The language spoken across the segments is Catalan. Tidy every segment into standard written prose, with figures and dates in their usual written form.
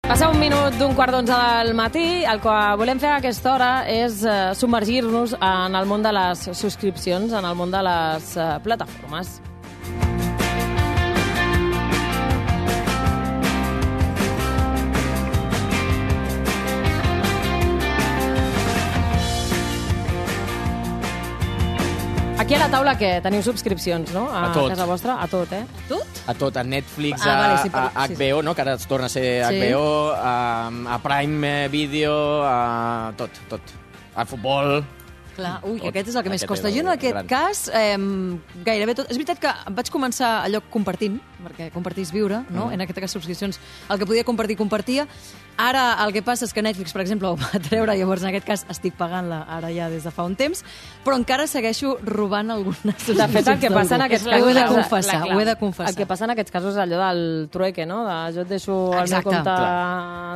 Passa un minut d'un quart d'onze del matí. El que volem fer a aquesta hora és submergir-nos en el món de les subscripcions, en el món de les plataformes. Aquí a la taula, què? Teniu subscripcions, no? A tot. A casa vostra? A tot, eh? Tot? A tot, a Netflix, vale, sí, HBO, no? Que ara es torna a ser HBO, a Prime Video, a tot. A futbol. Clar, ui, que aquest és el que més Aquest costa. és Jo en aquest gran. cas, gairebé tot... És veritat que vaig començar allò compartint, perquè compartís viure, no? En aquest cas, subscripcions, el que podia compartir, compartia. Ara el que passa és que Netflix, per exemple, ho va treure, llavors en aquest cas estic pagant-la ara ja des de fa un temps, però encara segueixo robant algunes subscripcions. De fet, el que passa en aquests casos... Ho he de confessar. El que passa en aquests casos és allò del trueque, no? Jo et deixo el meu compte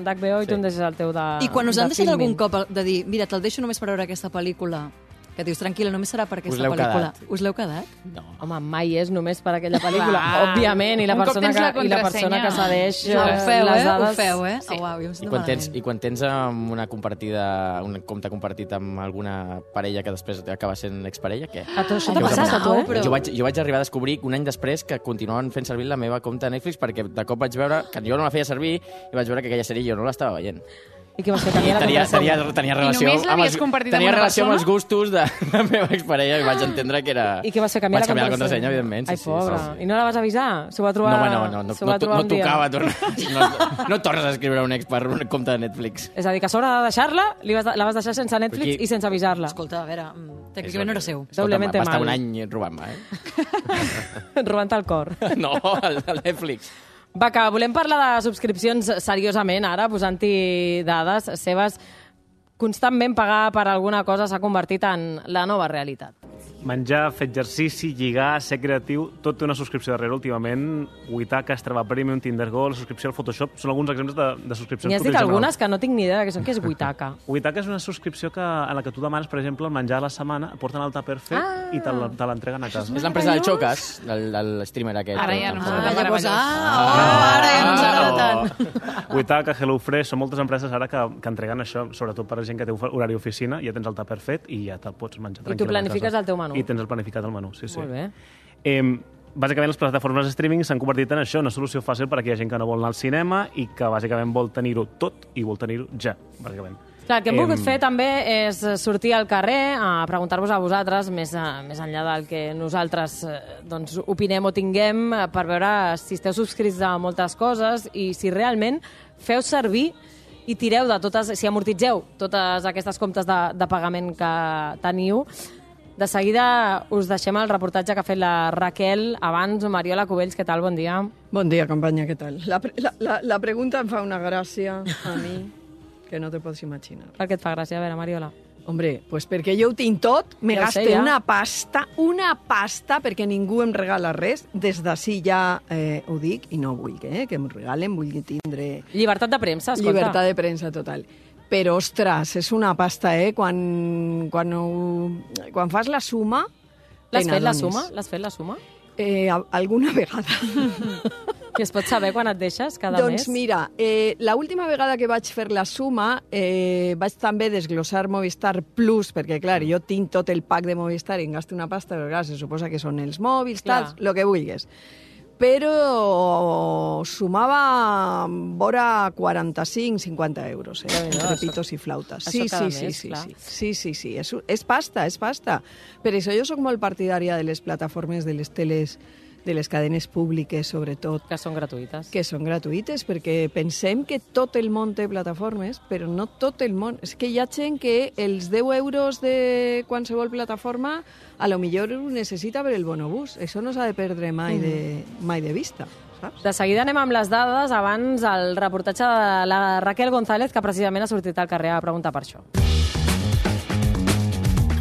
d'HBO i tu em deixes el teu de I quan us han deixat Filmin. algun cop de dir, mira, te'l deixo només per veure aquesta pel·lícula, que dius, tranquil·la, només serà per aquesta pel·lícula. Us l'heu quedat? No. Home, mai és només per aquella pel·lícula, òbviament, i la Un cop persona tens la que cedeix Ho feu, les Ho dades... feu, eh? Sí. Oh, uau, jo em I sento malament. quan tens un compte compartit amb alguna parella que després acaba sent exparella, què? A tu això t'ha Què us ha passat, a tu, però- Jo vaig arribar a descobrir un any després que continuaven fent servir la meva compte de Netflix perquè de cop vaig veure que jo no la feia servir i vaig veure que aquella sèrie jo no l'estava veient. I què vas fer? I Canviar la contrasenya? tenia relació, només l'havies compartit amb tenia una relació amb els persona? gustos de la meva exparella i vaig entendre que era... I què vas fer? Canviar Vaig canviar la contrasenya, evidentment. Ai, pobra. I no la vas avisar? S'ho va trobar... s'ho va trobar No un dia. tocava tornar... No tornes a escriure un ex per un compte de Netflix. És a dir, que a sobre de deixar-la, la vas deixar sense Netflix Aquí- i sense avisar-la. Escolta, a veure, tècnicament no era seu. Doblemente va estar mal. un any robant-me, Robant-te el cor. No, el Netflix. Va, que volem parlar de subscripcions seriosament ara, posant-hi dades seves. Constantment pagar per alguna cosa s'ha convertit en la nova realitat. Menjar, fer exercici, lligar, ser creatiu, tot té una subscripció darrere últimament. Witaka, Strava Premium, Tinder Go, la subscripció al Photoshop, són alguns exemples de subscripcions. N'hi has que dit utilitzem algunes que no tinc ni idea de què és Witaka. Witaka és una subscripció en la que tu demanes, per exemple, el menjar a la setmana, et porten el tàper fet i te l'entreguen a casa. És l'empresa del Xocas, del streamer aquest. Ara ja no sé. Llavors, ara ja no ens agrada tant. Witaka, HelloFresh, són moltes empreses ara que entreguen això, sobretot per a gent que té horari d'oficina, ja tens el tàper fet i ja te'l pots menjar I tu tranquil·lament a planifiques casa. el teu menú. I tens el planificat el menú, sí. Molt bé. Bàsicament, les plataformes de streaming s'han convertit en això, una solució fàcil per a aquella gent que no vol anar al cinema i que bàsicament vol tenir-ho tot i vol tenir-ho ja, bàsicament. Clar, el que hem volgut fer també és sortir al carrer a preguntar-vos a vosaltres, més enllà del que nosaltres doncs, opinem o tinguem, per veure si esteu subscrits a moltes coses i si realment feu servir i tireu de totes, si amortitzeu totes aquestes comptes de pagament que teniu. De seguida us deixem el reportatge que ha fet la Raquel. Abans, Mariola Cubells, què tal? Bon dia. Bon dia, companya, què tal? La pregunta em fa una gràcia a mi que no te pots imaginar. Per què et fa gràcia? A veure, Mariola. Hombre, pues perquè jo ho tinc tot, me Ja ho sé, gaste ja. una pasta, perquè ningú em regala res. Des d'ací ja ho dic, i no vull que em regalen, vull tindre Llibertat de premsa, escolta. llibertat de premsa total. Però, ostres, és una pasta, Quan fas la suma... L'has fet, la t'adones. suma? L'has fet, la suma? Alguna vegada. I es pot saber quan et deixes cada mes? Doncs mira, l'última vegada que vaig fer la suma vaig també desglossar Movistar Plus, perquè, clar, jo tinc tot el pack de Movistar i em gasto una pasta, però, clar, se suposa que són els mòbils, Clar. tal, el que vulguis. Però sumava vora 45-50 euros, entre pitos i flautes. Això cada mes, clar. Sí. És pasta. Per això jo sóc molt partidària de les plataformes de les teles, de les cadenes públiques, sobretot, Que són gratuïtes. que són gratuïtes, perquè pensem que tot el món té plataformes, però no tot el món. És que hi ha gent que els 10 euros de qualsevol plataforma a lo millor ho necessita per el bonobús. Això no s'ha de perdre mai de vista, saps? De seguida anem amb les dades. Abans, el reportatge de la Raquel González, que precisament ha sortit al carrer a preguntar per això.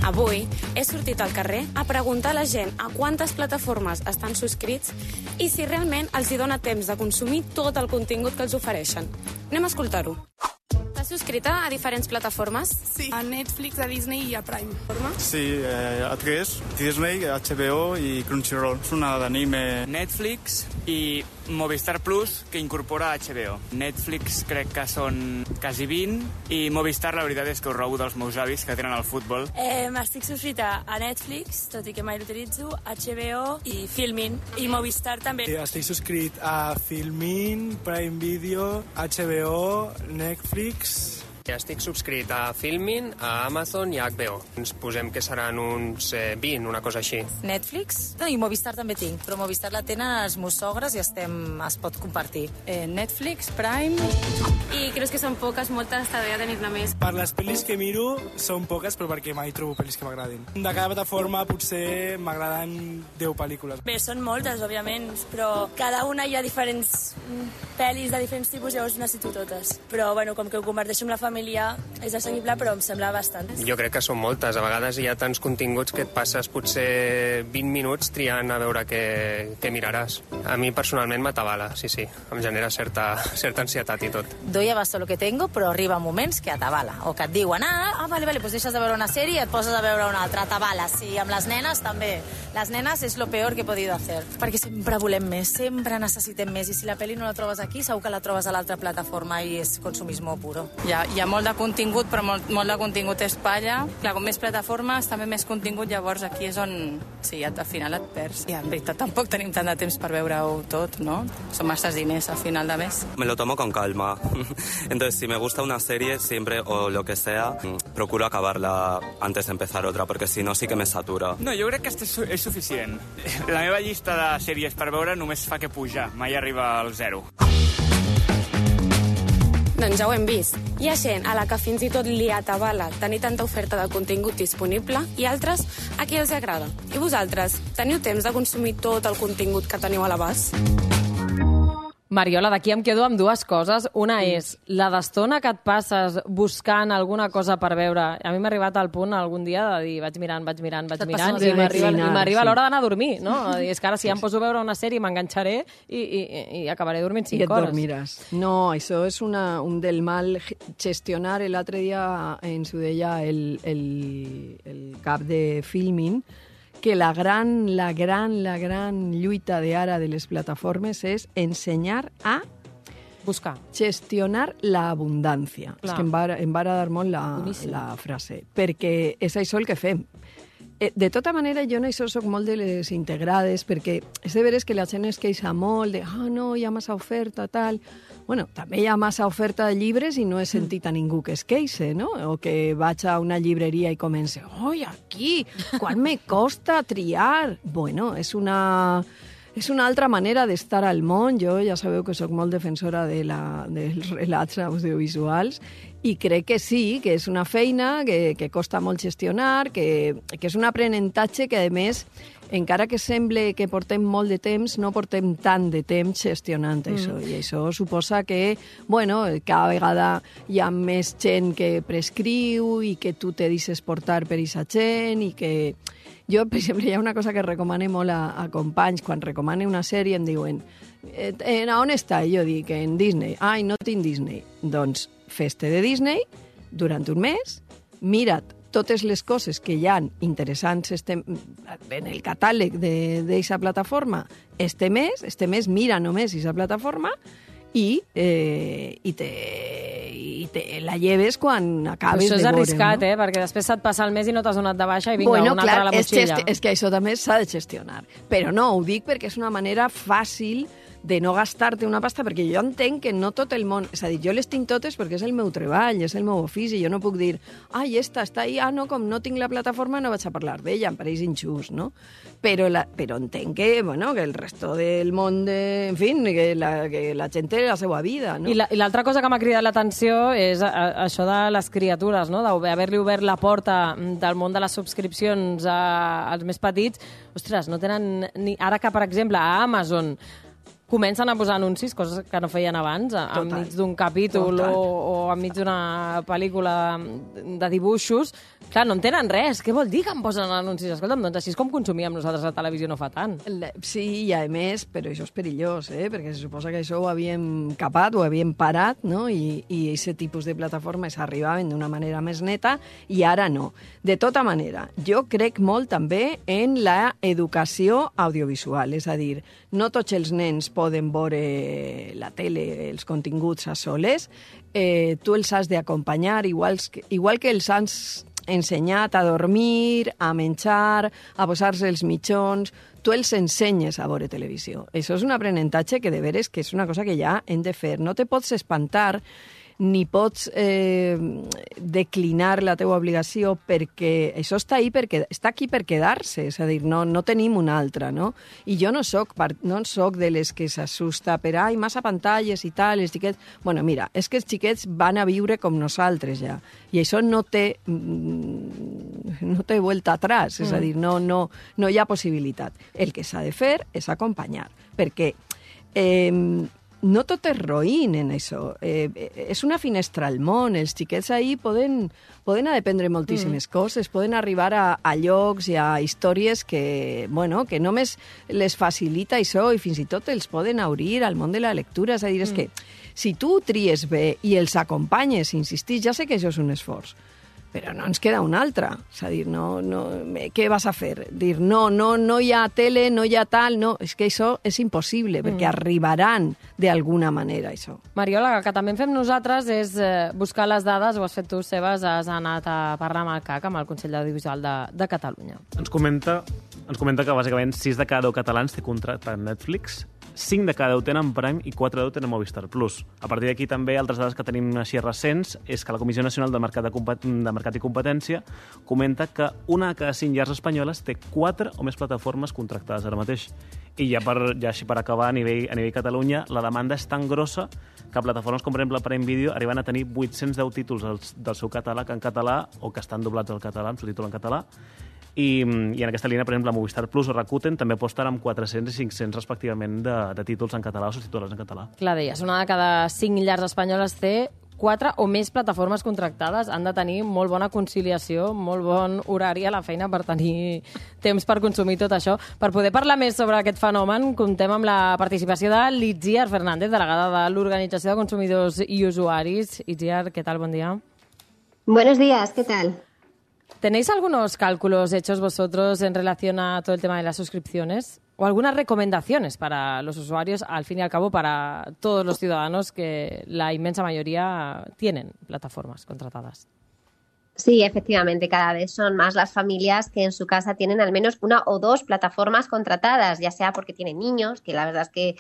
Avui he sortit al carrer a preguntar a la gent a quantes plataformes estan subscrits i si realment els hi dona temps de consumir tot el contingut que els ofereixen. Anem a escoltar-ho. T'has subscrit a diferents plataformes? Sí, a Netflix, a Disney i a Prime. Sí, a tres, Disney, HBO i Crunchyroll. És una d'anime. Netflix, i Movistar Plus, que incorpora HBO. Netflix crec que són quasi 20 i Movistar la veritat és que ho robo dels meus avis que tenen el futbol. Estic subscrita a Netflix, tot i que mai l'utilitzo, HBO i Filmin, i Movistar també. Estic subscrit a Filmin, Prime Video, HBO, Netflix... Estic subscrit a Filmin, a Amazon i a HBO. Ens posem que seran uns 20, una cosa així. Netflix i Movistar també tinc, però Movistar la tenen els meus sogres i es pot compartir. Netflix, Prime... I creus que són poques, moltes, t'hauria de tenir-ne més. Per les pel·lis que miro són poques, però perquè mai trobo pel·lis que m'agradin. De cada plataforma potser m'agraden 10 pel·lícules. Bé, són moltes, òbviament, però cada una hi ha diferents pel·lis de diferents tipus, llavors necessito totes. Però, bueno, com que ho converteixo amb la família, és assequible, però em sembla bastant. Jo crec que són moltes. A vegades hi ha tants continguts que et passes potser 20 minuts triant a veure què miraràs. A mi personalment m'atabala, sí. Em genera certa ansietat i tot. Doy abasto lo que tengo, però arriba moments que atabala. O que et diuen, vale, pues deixes de veure una sèrie i et poses a veure una altra. Atabala, sí. Amb les nenes també. Les nenes és lo peor que he podido hacer. Perquè sempre volem més, sempre necessitem més. I si la pel·li no la trobes aquí, segur que la trobes a l'altra plataforma i és consumismo puro. Hi ha molt de contingut, però molt de contingut és palla. Clar, com més plataformes, també més contingut, llavors aquí és on, sí, al final et perds. I en veritat tampoc tenim tant de temps per veure-ho tot, no? Són masses diners al final de mes. Me lo tomo con calma. Entonces, si me gusta una serie, siempre, o lo que sea, procuro acabarla antes de empezar otra, porque si no, sí que me satura. No, jo crec que és suficient. La meva llista de sèries per veure només fa que pujar, mai arriba al 0. Doncs ja ho hem vist. Hi ha gent a la que fins i tot li atabala tenir tanta oferta de contingut disponible i altres a qui els agrada. I vosaltres, teniu temps de consumir tot el contingut que teniu a l'abast? Mariola, d'aquí em quedo amb dues coses. Una és la d'estona que et passes buscant alguna cosa per veure. A mi m'ha arribat al punt algun dia de dir vaig mirant, i m'arriba l'hora d'anar a dormir, no? És que ara si ja em poso a veure una sèrie m'enganxaré i acabaré dormint 5 hores. I et dormiràs. No, això és un del mal gestionar. L'altre dia ens ho deia el cap de Filmin, que la gran lluita d'ara de les plataformes és ensenyar a buscar, gestionar l'abundància. És que em va agradar molt la frase, perquè és això el que fem. De tota manera, jo en això soc molt de les integrades, perquè és de veres que la gent es queixa molt de no, hi ha massa oferta, tal... Bueno, també hi ha massa oferta de llibres i no he sentit a ningú que es queixe, no? O que vaig a una llibreria i comence aquí, quan me costa triar? Bueno, és una altra manera d'estar al món. Jo ja sabeu que sóc molt defensora dels relats audiovisuals i crec que sí, que és una feina que costa molt gestionar, que és un aprenentatge que, a més, encara que sembla que portem molt de temps, no portem tant de temps gestionant això. I això suposa que, bueno, cada vegada hi ha més gent que prescriu i que tu te deixes portar per aquesta gent i que... Jo, per exemple, hi ha una cosa que recomano molt a companys. Quan recomano una sèrie em diuen on està? I jo dic, en Disney. Ai, no tinc Disney. Doncs fes-te de Disney durant un mes, mira't totes les coses que hi ha interessants en el catàleg d'aquesta plataforma este mes mira només aquesta plataforma i te la lleves quan acabes de veure. Això és arriscat, no? Perquè després se't passa el mes i no t'has donat de baixa i vinga, una altra a la motxilla. És que això també s'ha de gestionar. Però no, ho dic perquè és una manera fàcil de no gastar-te una pasta, perquè jo entenc que no tot el món... És a dir, jo les tinc totes perquè és el meu treball, és el meu ofici, jo no puc dir està ahí, no, com no tinc la plataforma no vaig a parlar d'ella, em pareix injust, no? Però entenc que el resto del món, en fi, que la gent té la seva vida, no? I l'altra cosa que m'ha cridat l'atenció és això de les criatures, no? D'haver-li obert la porta del món de les subscripcions als més petits. Ostres, no tenen... Ara que, per exemple, a Amazon comencen a posar anuncis, coses que no feien abans, enmig d'un capítol o enmig d'una pel·lícula de dibuixos. Clar, no entenen res. Què vol dir que em posen anuncis? Escolta'm, doncs així és com consumíem nosaltres la televisió no fa tant. Sí, i a més, però això és perillós, perquè se suposa que això ho havíem capat, ho havíem parat, no? I aquest tipus de plataformes arribaven d'una manera més neta i ara no. De tota manera, jo crec molt també en la educació audiovisual, és a dir, no tots els nens poden veure la tele, els continguts a soles, tu els has d'acompanyar, igual que els has ensenyat a dormir, a menjar, a posar-se els mitjons, tu els ensenyes a veure televisió. Això és un aprenentatge que de veres que és una cosa que ja hem de fer. No te pots espantar ni pots declinar la teua obligació perquè això està aquí per quedar-se, és a dir, no tenim una altra, no? I jo no soc de les que s'assusta per massa pantalles i tal, els xiquets... Bueno, mira, és que els xiquets van a viure com nosaltres ja, i això no té vuelta atrás, és a dir, no hi ha possibilitat. El que s'ha de fer és acompanyar, perquè no tot és roïn en això. És una finestra al món. Els xiquets ahir poden aprendre moltíssimes coses, poden arribar a llocs i a històries que només les facilita això i fins i tot els poden obrir al món de la lectura. És a dir, és que si tu tries bé i els acompanyes, insistís, ja sé que això és un esforç, però no ens queda una altra. És a dir, què vas a fer? Dir, no hi ha tele, no hi ha tal, no, és que això és impossible, perquè arribaran d'alguna manera, això. Mariola, el que també fem nosaltres és buscar les dades, ho has fet tu, Sebas, has anat a parlar amb el CAC, amb el Consell Audiovisual de Catalunya. Ens comenta que bàsicament 6 de cada 10 catalans té contracte amb Netflix, 5 de cada 10 tenen Prime i 4 de 10 tenen Movistar Plus. A partir d'aquí també altres dades que tenim així recents és que la Comissió Nacional de Mercat i Competència comenta que una de cada 5 llars espanyoles té 4 o més plataformes contractades ara mateix. I ja així per acabar, a nivell Catalunya, la demanda és tan grossa que plataformes com, per exemple, Prime Video arriben a tenir 810 títols del seu catàleg en català o que estan doblats al català, amb subtítol en català. I en aquesta línia, per exemple, Movistar Plus o Rakuten també aposten amb 400 i 500 respectivament de títols en català o subtitulats en català. Clar, deies, una de cada 5 llars espanyoles té 4 o més plataformes contractades. Han de tenir molt bona conciliació, molt bon horari a la feina per tenir temps per consumir tot això. Per poder parlar més sobre aquest fenomen, comptem amb la participació de l'Itziar Fernández, delegada de l'Organització de Consumidors i Usuaris. Itziar, ¿qué tal? Buen día. Buenos días, ¿qué tal? ¿Tenéis algunos cálculos hechos vosotros en relación a todo el tema de las suscripciones? ¿O algunas recomendaciones para los usuarios, al fin y al cabo, para todos los ciudadanos que la inmensa mayoría tienen plataformas contratadas? Sí, efectivamente, cada vez son más las familias que en su casa tienen al menos 1 o 2 plataformas contratadas, ya sea porque tienen niños, que la verdad es que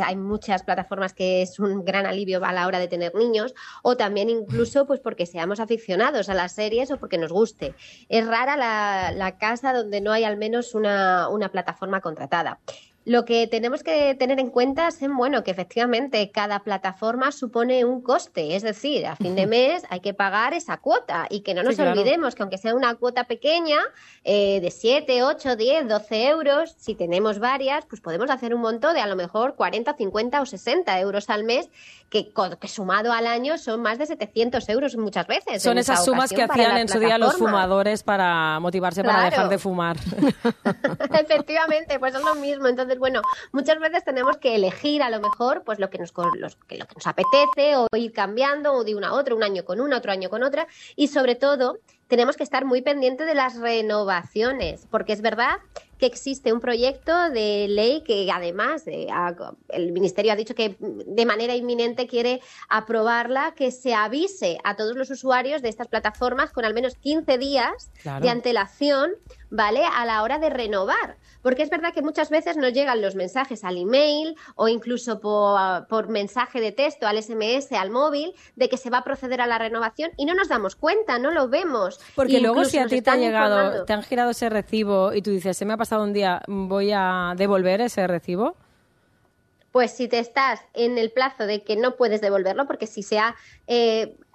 hay muchas plataformas que es un gran alivio a la hora de tener niños, o también incluso pues porque seamos aficionados a las series o porque nos guste. Es rara la casa donde no hay al menos una plataforma contratada. Lo que tenemos que tener en cuenta es que efectivamente cada plataforma supone un coste, es decir, a fin de mes hay que pagar esa cuota y que no nos olvidemos que aunque sea una cuota pequeña, de 7, 8, 10, 12 euros, si tenemos varias, pues podemos hacer un monto de a lo mejor 40, 50 o 60 euros al mes, que sumado al año son más de 700 euros muchas veces. Son esas sumas que hacían en su día los fumadores para motivarse para dejar de fumar. Efectivamente, pues es lo mismo. Entonces, muchas veces tenemos que elegir a lo mejor pues lo que nos apetece o ir cambiando o de una a otra, un año con una, otro año con otra, y sobre todo tenemos que estar muy pendientes de las renovaciones, porque es verdad que existe un proyecto de ley que además el Ministerio ha dicho que de manera inminente quiere aprobarla, que se avise a todos los usuarios de estas plataformas con al menos 15 días de antelación, ¿vale?, a la hora de renovar. Porque es verdad que muchas veces nos llegan los mensajes al email o incluso por mensaje de texto, al SMS, al móvil, de que se va a proceder a la renovación y no nos damos cuenta, no lo vemos. Porque luego si a ti te han girado ese recibo y tú dices, se me ha pasado un día, voy a devolver ese recibo. Pues si te estás en el plazo de que no puedes devolverlo, porque si se ha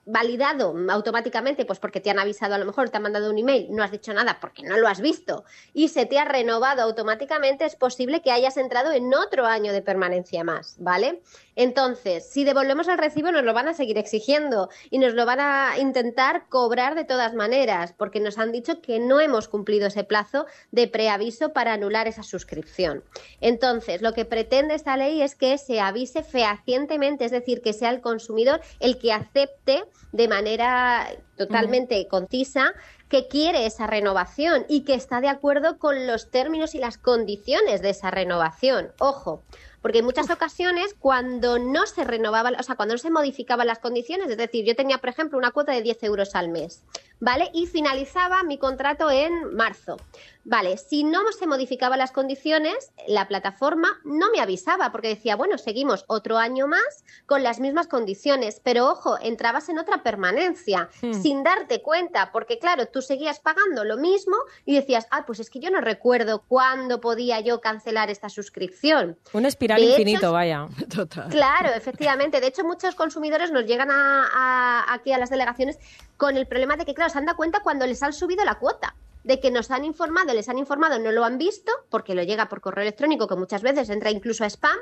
validado automáticamente, pues porque te han avisado, a lo mejor te han mandado un email, no has dicho nada porque no lo has visto y se te ha renovado automáticamente, es posible que hayas entrado en otro año de permanencia más, ¿vale? Entonces, si devolvemos el recibo nos lo van a seguir exigiendo y nos lo van a intentar cobrar de todas maneras porque nos han dicho que no hemos cumplido ese plazo de preaviso para anular esa suscripción. Entonces, lo que pretende esta ley es que se avise fehacientemente, es decir, que sea el consumidor el que acepte de manera totalmente concisa que quiere esa renovación y que está de acuerdo con los términos y las condiciones de esa renovación. Ojo, porque en muchas ocasiones cuando no se renovaban, o sea, cuando no se modificaban las condiciones, es decir, yo tenía, por ejemplo, una cuota de 10 euros al mes, ¿vale? Y finalizaba mi contrato en marzo. Vale, si no se modificaban las condiciones, la plataforma no me avisaba porque decía, bueno, seguimos otro año más con las mismas condiciones, pero ojo, entrabas en otra permanencia sin darte cuenta, porque claro, tú seguías pagando lo mismo y decías, pues es que yo no recuerdo cuándo podía yo cancelar esta suscripción. Un espiral infinito, vaya. Total. Claro, efectivamente. De hecho, muchos consumidores nos llegan aquí a las delegaciones con el problema de que, claro, se han dado cuenta cuando les han subido la cuota, de que les han informado, no lo han visto, porque lo llega por correo electrónico, que muchas veces entra incluso a spam,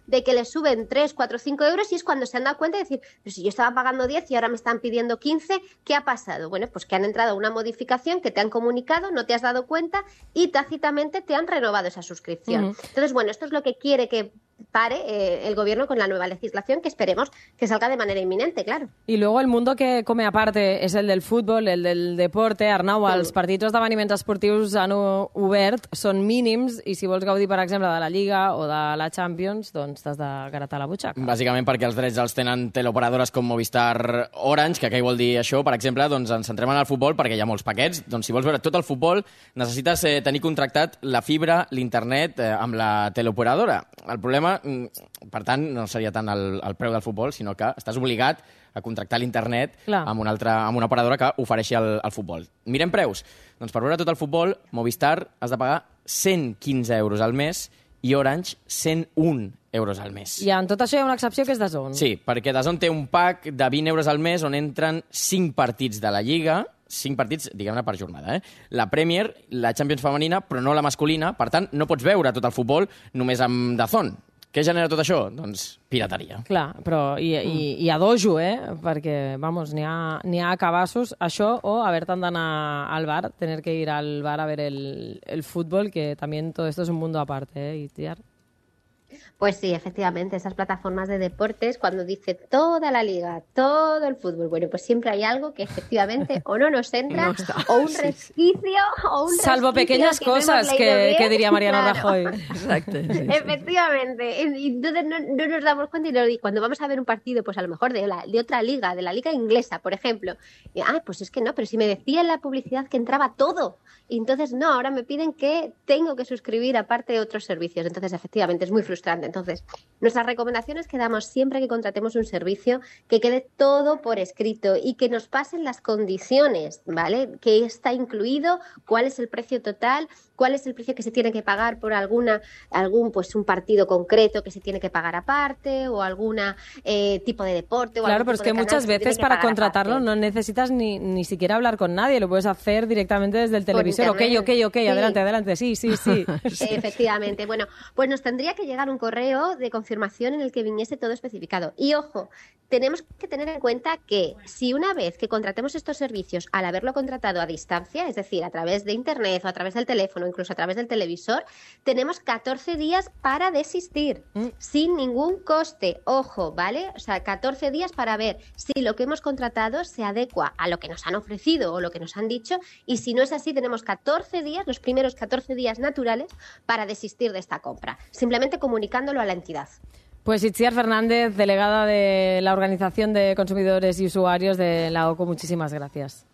de que les suben 3, 4, 5 euros y es cuando se han dado cuenta de decir, pero si yo estaba pagando 10 y ahora me están pidiendo 15, ¿qué ha pasado? Bueno, pues que han entrado una modificación que te han comunicado, no te has dado cuenta y tácitamente te han renovado esa suscripción. Entonces, bueno, esto es lo que quiere que pare el gobierno con la nueva legislación, que esperemos que salga de manera inminente, claro. I luego el mundo que come a part és el del futbol, el del deporte. Arnau, els partits o esdeveniments esportius han obert, són mínims, i si vols gaudir, per exemple, de la Lliga o de la Champions, doncs t'has de gratar la butxaca. Bàsicament perquè els drets els tenen teleoperadores com Movistar Orange, que què vol dir això? Per exemple, doncs ens centrem en el futbol perquè hi ha molts paquets. Doncs si vols veure tot el futbol, necessites tenir contractat la fibra, l'internet, amb la teleoperadora. El problema, per tant, no seria tant el preu del futbol, sinó que estàs obligat a contractar l'internet amb una operadora que ofereixi el futbol. Mirem preus. Doncs per veure tot el futbol, Movistar has de pagar 115 euros al mes i Orange 101 euros al mes. I en tot això hi ha una excepció que és DAZN. Sí, perquè DAZN té un pack de 20 euros al mes on entren 5 partits de la Lliga, 5 partits, diguem-ne, per jornada. La Premier, la Champions femenina, però no la masculina. Per tant, no pots veure tot el futbol només amb DAZN. Què genera tot això? Doncs pirateria. Clar, però i a dojo, perquè, vamos, n'hi ha cabassos, això, o haver-te'n d'anar al bar, tener que ir al bar a ver el fútbol, que también todo esto es un mundo aparte, Itziar. Pues sí, efectivamente, esas plataformas de deportes, cuando dice toda la liga, todo el fútbol, bueno, pues siempre hay algo que efectivamente o no nos entra, o un resquicio, Salvo pequeñas cosas que diría Mariano Rajoy. Exacto. Sí, efectivamente. Y entonces no nos damos cuenta y cuando vamos a ver un partido, pues a lo mejor de otra liga, de la liga inglesa, por ejemplo, pues es que no, pero si me decía en la publicidad que entraba todo, y entonces no, ahora me piden que tengo que suscribir aparte de otros servicios. Entonces, efectivamente, es muy frustrante. Entonces, nuestras recomendaciones que damos siempre que contratemos un servicio, que quede todo por escrito y que nos pasen las condiciones, ¿vale? Que está incluido, cuál es el precio total, cuál es el precio que se tiene que pagar por pues un partido concreto que se tiene que pagar aparte, o algún tipo de deporte. O claro, pero es que muchas veces para contratarlo aparte no necesitas ni siquiera hablar con nadie, lo puedes hacer directamente desde el televisor. Ok, sí. adelante, sí. Efectivamente. Bueno, pues nos tendría que llegar un correo de confirmación en el que viniese todo especificado. Y ojo, tenemos que tener en cuenta que si una vez que contratemos estos servicios, al haberlo contratado a distancia, es decir, a través de internet o a través del teléfono, incluso a través del televisor, tenemos 14 días para desistir, sin ningún coste. Ojo, ¿vale? O sea, 14 días para ver si lo que hemos contratado se adecua a lo que nos han ofrecido o lo que nos han dicho, y si no es así, tenemos 14 días, los primeros 14 días naturales, para desistir de esta compra, simplemente comunicándolo a la entidad. Pues Itziar Fernández, delegada de la Organización de Consumidores y Usuarios de la OCU, muchísimas gracias.